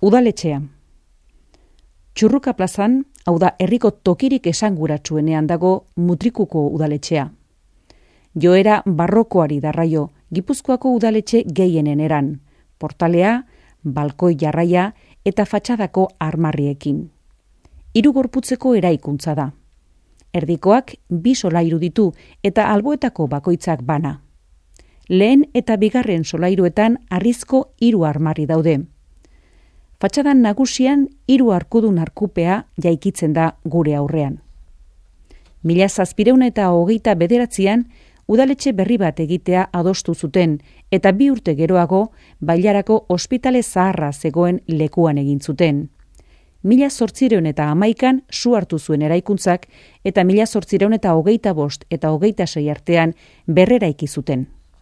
Udaletxea. Txurruka plazan, hau da herriko tokirik esanguratsuenean dago Mutrikuko udaletxea. Joera barrokoari darraio, Gipuzkoako udaletxe gehienen eran, portalea, balkoi jarraia eta fatxadako armarriekin. 3 gorputzeko eraikuntza da. Erdikoak 2 solairu ditu eta alboetako bakoitzak bana. Lehen eta bigarren solairuetan harrizko 3 armarri daude. Fatxadan nagusian 3 arkudun arkupea jaikitzen da gure aurrean. 1729an udaletxe berri bat egitea adostu zuten eta 2 urte geroago Bailarako ospitale zaharra zegoen lekuan egin zuten. 1811an su hartu zuen eraikuntzak eta 1825 eta 26 artean berreraiki zuten.